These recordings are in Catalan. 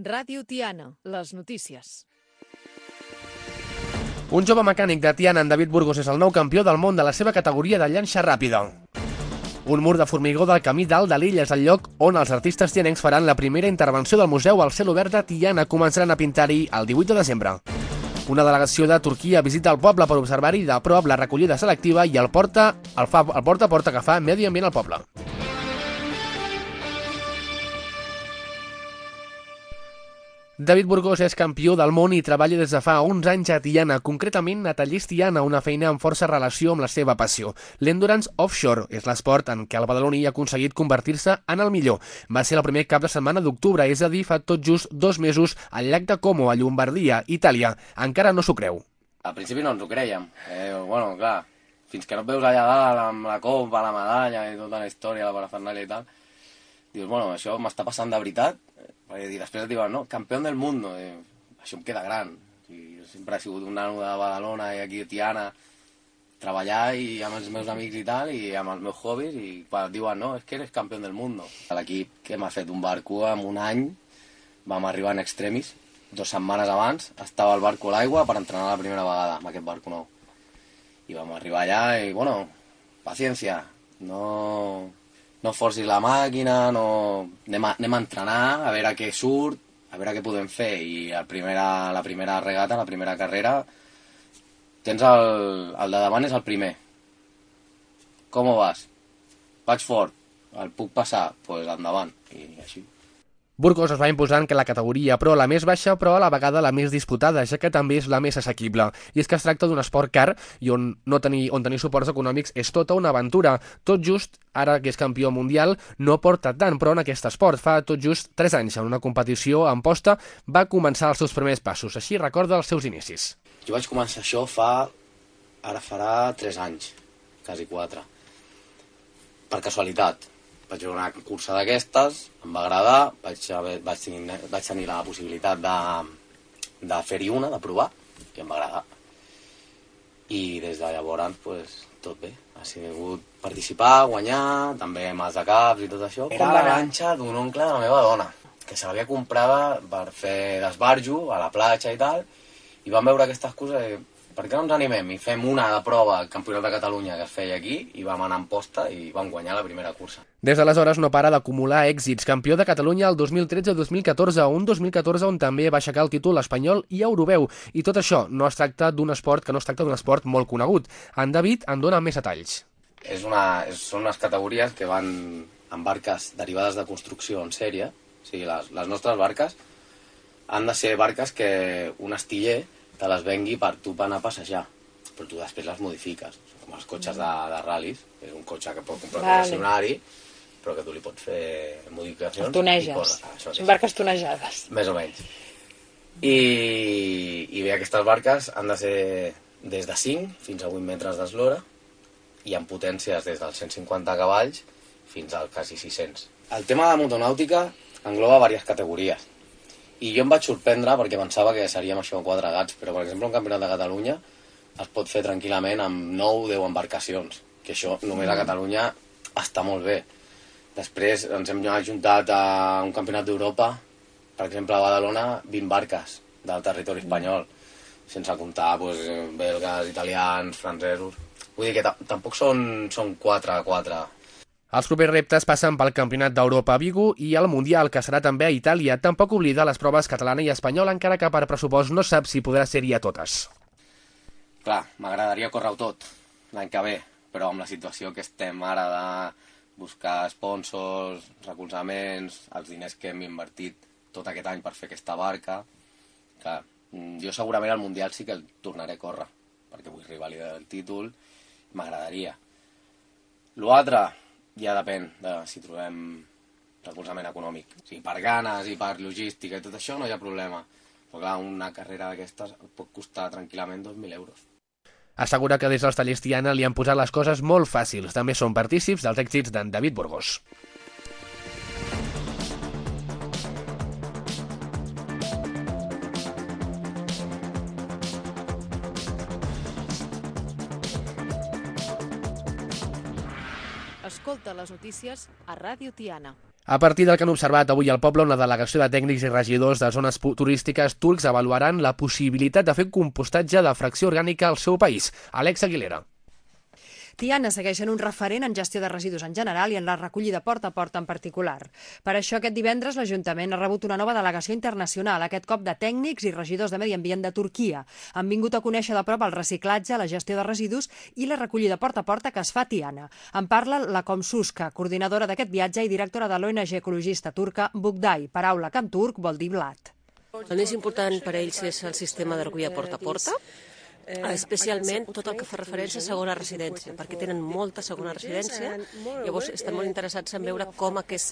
Ràdio Tiana, les notícies. Un jove mecànic de Tiana, en David Burgos, és el nou campió del món de la seva categoria de llanxa ràpida. Un mur de formigó del camí dalt de l'illa és el lloc on els artistes tianencs faran la primera intervenció del Museu al cel obert de Tiana. Començaran a pintar-hi el 18 de desembre. Una delegació de Turquia visita el poble per observar-hi de prop la recollida selectiva i el porta a porta que fa Medi Ambient al poble. David Burgos és campió del món i treballa des de fa uns anys a Tiana, concretament a Tallers Tiana, una feina amb força relació amb la seva passió. L'Endurance Offshore és l'esport en què el badaloní ha aconseguit convertir-se en el millor. Va ser el primer cap de setmana d'octubre, és a dir, fa tot just 2 mesos, al llac de Como, a Llombardia, Itàlia. Encara no s'ho creu. Al principi no ens ho creiem. Bueno, clar, fins que no et veus allà dalt amb la copa, la medalla i tota la història, la parafernàlia i tal, dius, bueno, això m'està passant de veritat. I després et diuen, no, campió del món, això em queda gran. I sempre he sigut un nano de Badalona i aquí a Tiana, treballar i amb els meus amics i tal, i amb els meus hobbies, i quan et diuen, no, és que eres campió del món. L'equip que m'ha fet un barco en un any, vam arribar en extremis, 2 setmanes abans, estava el barco a l'aigua per entrenar la primera vegada amb aquest barco nou. I vam arribar allà i, bueno, paciència, no forcis la màquina, anem a entrenar, a veure què surt, a veure què podem fer. I la primera regata, la primera carrera, tens el de davant és el primer. Com vas? Vaig fort, el puc passar? Doncs pues endavant, i així. Burgos es va imposant que la categoria Pro, la més baixa, però a la vegada la més disputada, ja que també és la més assequible. I és que es tracta d'un esport car i on tenir suports econòmics és tota una aventura. Tot just, ara que és campió mundial, no porta tant, però en aquest esport fa tot just 3 anys, en una competició en posta, va començar els seus primers passos. Així recorda els seus inicis. Jo vaig començar això ara farà 3 anys, quasi 4. Per casualitat. Vaig veure una cursa d'aquestes, em va agradar, vaig tenir la possibilitat de fer-hi una, de provar, i em va agradar. I des de llavors, pues, tot bé. Ha sigut participar, guanyar, també amb els de caps i tot això. Era la lanxa d'un oncle de la meva dona, que se l'havia comprada per fer d'esbarjo a la platja i tal, i vam veure aquestes coses. Per què no ens animem i fem una de prova al Campionat de Catalunya que es feia aquí i vam anar en posta i vam guanyar la primera cursa. Des d'aleshores no para d'acumular èxits. Campió de Catalunya el 2013-2014, un 2014 on també va aixecar el títol espanyol i europeu. I tot això no es tracta d'un esport molt conegut. En David en dona més detalls. Són unes categories que van amb barques derivades de construcció en sèrie. O sigui, les nostres barques han de ser barques que un astiller te les vengui per tu per anar a passejar, però tu després les modifiques, com els cotxes de ral·lis, és un cotxe que pot comprar un concessionari, però que tu li pots fer modificacions. Toneges, són barques tonejades. Més o menys. I bé, aquestes barques han de ser des de 5 fins a 8 metres d'eslora i amb potències des dels 150 cavalls fins al quasi 600. El tema de motonàutica engloba diverses categories. I jo em vaig sorprendre perquè pensava que seríem això 4 gats, però per exemple un campionat de Catalunya es pot fer tranquil·lament amb 9 o 10 embarcacions, que això només a Catalunya està molt bé. Després ens hem ajuntat a un campionat d'Europa, per exemple a Badalona, 20 barques del territori espanyol, sense comptar belgues, italians, francesos. Vull dir que tampoc són 4 a 4. Els propers reptes passen pel Campionat d'Europa a Vigo i el Mundial, que serà també a Itàlia. Tampoc oblida les proves catalana i espanyola, encara que per pressupost no sap si podrà ser-hi a totes. Clar, m'agradaria córrer-ho tot l'any que ve, però amb la situació que estem ara de buscar sponsors, recolzaments, els diners que hem invertit tot aquest any per fer aquesta barca, clar, jo segurament al Mundial sí que el tornaré a córrer, perquè vull revalidar el títol, m'agradaria. L'altre ja depèn de si trobem recolzament econòmic. O sigui, per ganes i per logística i tot això no hi ha problema. Però clar, una carrera d'aquestes pot costar tranquil·lament 2.000 euros. Assegura que des dels Tallers Tiana li han posat les coses molt fàcils. També són partícips dels èxits d'en David Burgos. Escolta les notícies a Ràdio Tiana. A partir del que han observat avui al poble, una delegació de tècnics i regidors de zones turístiques turcs avaluaran la possibilitat de fer compostatge de fracció orgànica al seu país. Alex Aguilera. Tiana segueix sent un referent en gestió de residus en general i en la recollida porta a porta en particular. Per això, aquest divendres, l'Ajuntament ha rebut una nova delegació internacional, aquest cop de tècnics i regidors de Medi Ambient de Turquia. Han vingut a conèixer de prop el reciclatge, la gestió de residus i la recollida porta a porta que es fa a Tiana. En parla la Komsuska, coordinadora d'aquest viatge i directora de l'ONG ecologista turca Bugday. Paraula que en turc vol dir blat. El més important per a ells és el sistema de recollida porta a porta, especialment tot el que fa referència a segona residència, perquè tenen molta segona residència, llavors estan molt interessats en veure com es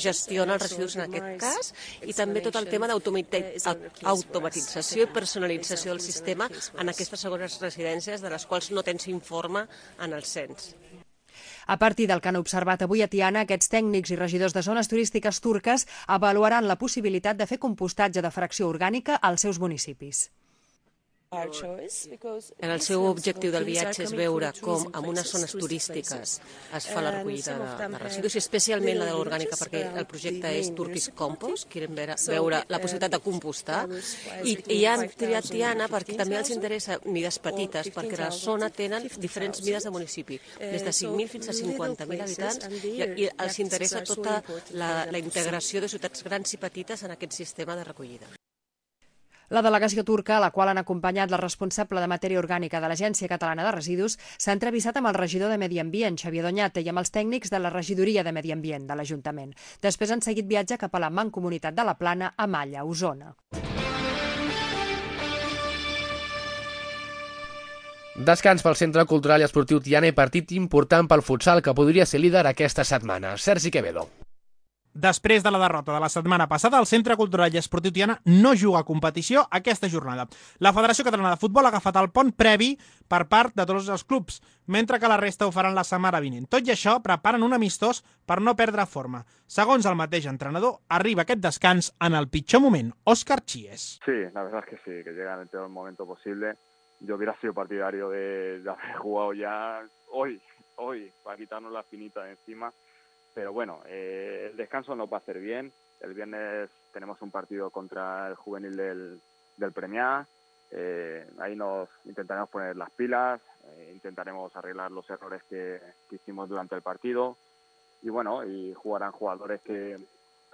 gestiona els residus en aquest cas, i també tot el tema d'automatització i personalització del sistema en aquestes segones residències de les quals no tens informe en el cens. A partir del que han observat avui a Tiana, aquests tècnics i regidors de zones turístiques turques avaluaran la possibilitat de fer compostatge de fracció orgànica als seus municipis. El seu objectiu del viatge és veure com en unes zones turístiques es fa la recollida de residus, i especialment la de l'orgànica, perquè el projecte és Turkish Compost, quieren veure la possibilitat de compostar, i han triat Tiana perquè també els interessa mides petites, perquè a la zona tenen diferents mides de municipi, des de 5.000 fins a 50.000 habitants, i els interessa tota la integració de ciutats grans i petites en aquest sistema de recollida. La delegació turca, a la qual han acompanyat la responsable de matèria orgànica de l'Agència Catalana de Residus, s'ha entrevistat amb el regidor de Medi Ambient, Xavier Doñate, i amb els tècnics de la regidoria de Medi Ambient de l'Ajuntament. Després han seguit viatge cap a la Mancomunitat de la Plana, a Malla, Osona. Descans pel Centre Cultural i Esportiu Tiana i partit important pel futsal que podria ser líder aquesta setmana. Sergi Quevedo. Després de la derrota de la setmana passada, el Centre Cultural i Esportiu Tiana no juga a competició aquesta jornada. La Federació Catalana de Futbol ha agafat el pont previ per part de tots els clubs, mentre que la resta ho faran la setmana vinent. Tot i això, preparen un amistós per no perdre forma. Segons el mateix entrenador, arriba aquest descans en el pitjor moment. Óscar Chies. Sí, la verdad es que sí, que llega en el peor momento posible. Yo hubiera sido partidario de haber jugado ya hoy, para quitarnos la espinita de encima. Pero bueno, el descanso nos va a hacer bien. El viernes tenemos un partido contra el juvenil del Premià. Ahí nos intentaremos poner las pilas, intentaremos arreglar los errores que hicimos durante el partido. Y bueno, y jugarán jugadores que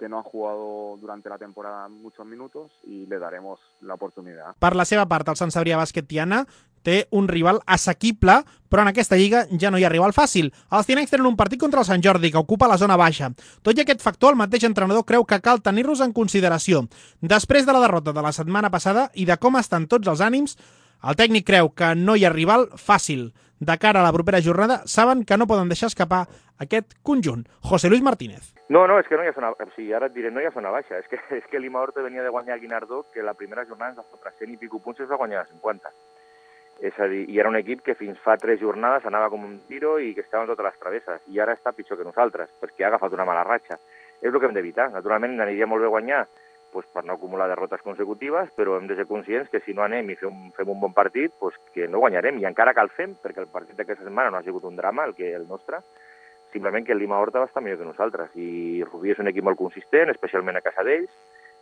no han jugado durante la temporada muchos minutos y le daremos la oportunidad. Per la seva part, el Sant Cebrià Bàsquet Tiana té un rival assequible, però en aquesta lliga ja no hi ha rival fàcil. Els tianencs tenen un partit contra el Sant Jordi, que ocupa la zona baixa. Tot i aquest factor, el mateix entrenador creu que cal tenir-los en consideració. Després de la derrota de la setmana passada i de com estan tots els ànims, el tècnic creu que no hi ha rival fàcil. De cara a la propera jornada, saben que no poden deixar escapar aquest conjunt. José Luis Martínez. No, és que no hi ha zona... O sigui, ara et diré, no hi ha zona baixa. És que l'Ima Horta venia de guanyar a Guinardó, que la primera jornada ens va fotre 100 i pico punts i es va guanyar a 50. És a dir, i era un equip que fins fa 3 jornades anava com un tiro i que estava en totes les travesses. I ara està pitjor que nosaltres, perquè ha agafat una mala ratxa. És el que hem d'evitar. Naturalment, aniria molt bé guanyar per no acumular derrotes consecutives, però hem de ser conscients que si no anem i fem un bon partit, que no guanyarem. I encara que el fem, perquè el partit d'aquesta setmana no ha sigut un drama, el nostre, simplement que el Lima Horta va estar millor que nosaltres. I Rubí és un equip molt consistent, especialment a casa d'ells,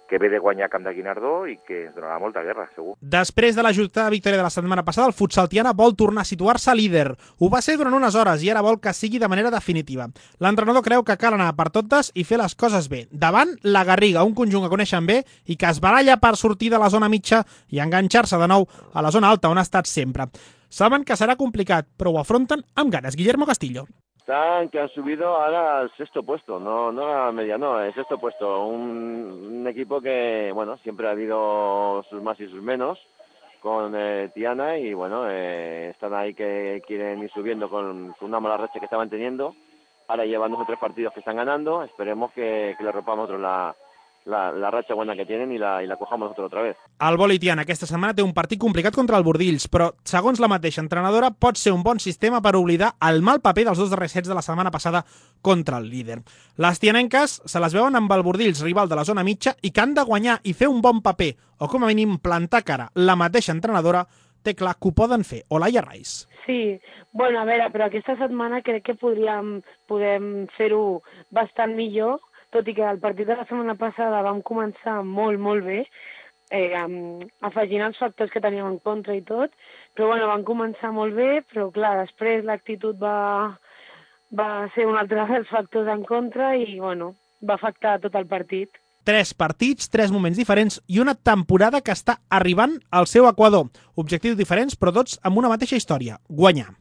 que ve de guanyar camp de Guinardó i que ens donarà molta guerra, segur. Després de la ajustada victòria de la setmana passada, el futsal Tiana vol tornar a situar-se líder. Ho va ser durant unes hores i ara vol que sigui de manera definitiva. L'entrenador creu que cal anar per totes i fer les coses bé. Davant, la Garriga, un conjunt que coneixen bé i que es baralla per sortir de la zona mitja i enganxar-se de nou a la zona alta, on ha estat sempre. Saben que serà complicat, però ho afronten amb ganes. Guillermo Castillo. Están que han subido ahora al sexto puesto, no a la media, no, el sexto puesto. Un equipo que, bueno, siempre ha habido sus más y sus menos con Tiana y, bueno, están ahí que quieren ir subiendo con una mala racha que estaban teniendo. Ahora llevan 2 o 3 partidos que están ganando, esperemos que le rompamos otro la ratxa buena que tienen i la cojamos nosotros otra vez. El vòlei Tiana aquesta setmana té un partit complicat contra el Bordills, però, segons la mateixa entrenadora, pot ser un bon sistema per oblidar el mal paper dels 2 darrers sets de la setmana passada contra el líder. Les tianenques se les veuen amb el Bordills, rival de la zona mitja, i que han de guanyar i fer un bon paper, o com a mínim plantar cara. La mateixa entrenadora té clar que ho poden fer. Olaia Rais. Sí, bueno, a veure, però aquesta setmana crec que podem fer-ho bastant millor, tot i que el partit de la setmana passada vam començar molt, molt bé, afegint els factors que teníem en contra i tot, però bueno, vam començar molt bé, però clar, després l'actitud va ser un altre dels factors en contra i bueno, va afectar tot el partit. 3 partits, 3 moments diferents i una temporada que està arribant al seu equador. Objectius diferents, però tots amb una mateixa història: guanyar.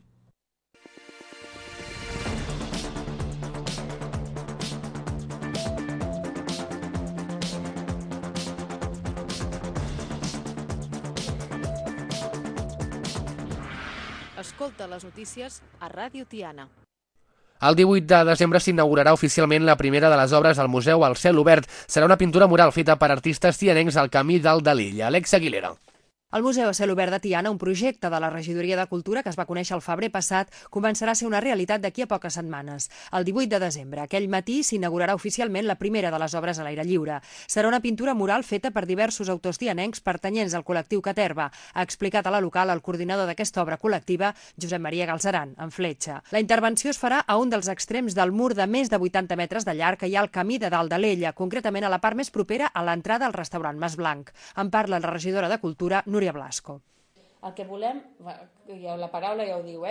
Escolta les notícies a Ràdio Tiana. El 18 de desembre s'inaugurarà oficialment la primera de les obres al Museu al Cel Obert. Serà una pintura mural feta per artistes tianencs al Camí dalt de l'illa. Alexa Aguilera. El Museu a Cel Obert de Tiana, un projecte de la Regidoria de Cultura que es va conèixer el febrer passat, començarà a ser una realitat d'aquí a poques setmanes. El 18 de desembre, aquell matí, s'inaugurarà oficialment la primera de les obres a l'aire lliure. Serà una pintura mural feta per diversos autors tianencs pertanyents al col·lectiu Caterva, ha explicat a la local el coordinador d'aquesta obra col·lectiva, Josep Maria Galzeran, en Fletxa. La intervenció es farà a un dels extrems del mur de més de 80 metres de llarg que hi ha al camí de dalt de l'Ella, concretament a la part més propera a l'entrada al restaurant Mas Blanc. En parla la regidora de Cultura, Núria Blasco. El que volem, la paraula ja ho diu,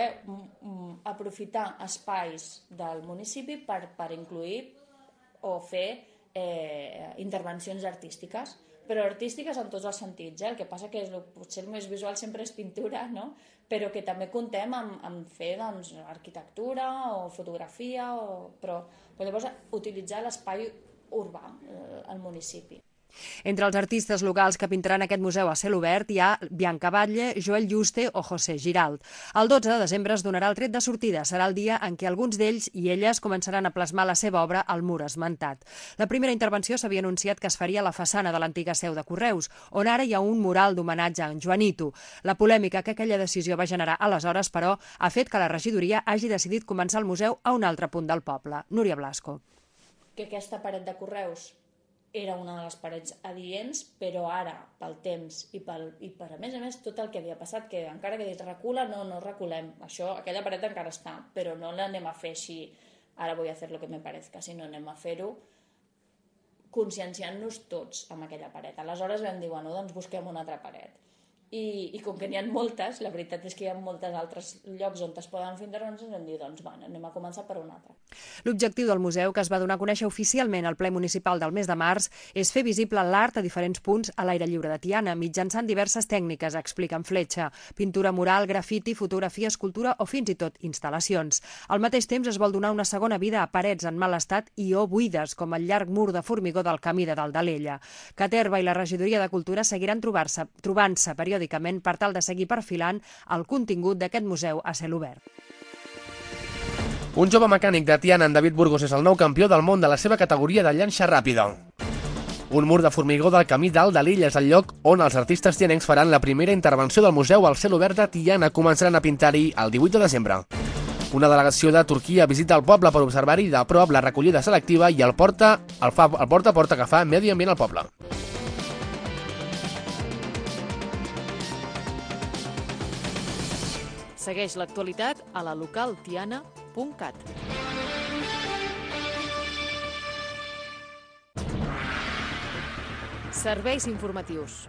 aprofitar espais del municipi per incluir o fer intervencions artístiques, però artístiques en tots els sentits. El que passa que potser el més visual sempre és pintura, no? Però que també contem amb fer arquitectura o fotografia, però llavors utilitzar l'espai urbà al municipi. Entre els artistes locals que pintaran aquest museu a cel obert hi ha Bianca Batlle, Joel Juste o José Giralt. El 12 de desembre es donarà el tret de sortida. Serà el dia en què alguns d'ells i elles començaran a plasmar la seva obra al mur esmentat. La primera intervenció s'havia anunciat que es faria a la façana de l'antiga seu de Correus, on ara hi ha un mural d'homenatge a en Joanito. La polèmica que aquella decisió va generar aleshores, però, ha fet que la regidoria hagi decidit començar el museu a un altre punt del poble. Núria Blasco. Que aquesta paret de Correus era una de les parets adients, però ara, pel temps i per, a més, tot el que havia passat, que encara que dit recula, no reculem. Aquella paret encara està, però no l'anem a fer així, ara vull fer lo que me parezca, sinó anem a fer-ho conscienciant-nos tots amb aquella paret. Aleshores vam dir, doncs busquem una altra paret. I com que n'hi ha moltes, la veritat és que hi ha molts altres llocs on es poden fer intervencions, vam dir, anem a començar per un altre. L'objectiu del museu, que es va donar a conèixer oficialment al ple municipal del mes de març, és fer visible l'art a diferents punts a l'aire lliure de Tiana, mitjançant diverses tècniques, explica en Fletxa: pintura mural, grafiti, fotografia, escultura o fins i tot instal·lacions. Al mateix temps es vol donar una segona vida a parets en mal estat i o buides, com el llarg mur de formigó del camí de dalt de l'Ella. Caterva i la Regidoria de Cultura seguiran trobant-se periòdicament per tal de seguir perfilant el contingut d'aquest museu a cel obert. Un jove mecànic de Tiana, en David Burgos, és el nou campió del món de la seva categoria de llanxa ràpida. Un mur de formigó del camí dalt de l'illa és el lloc on els artistes tianencs faran la primera intervenció del museu al cel obert de Tiana. Començaran a pintar-hi el 18 de desembre. Una delegació de Turquia visita el poble per observar-hi de prop la recollida selectiva i el porta a porta que fa Medi Ambient al poble. Segueix l'actualitat a la localtiana.cat. Serveis informatius.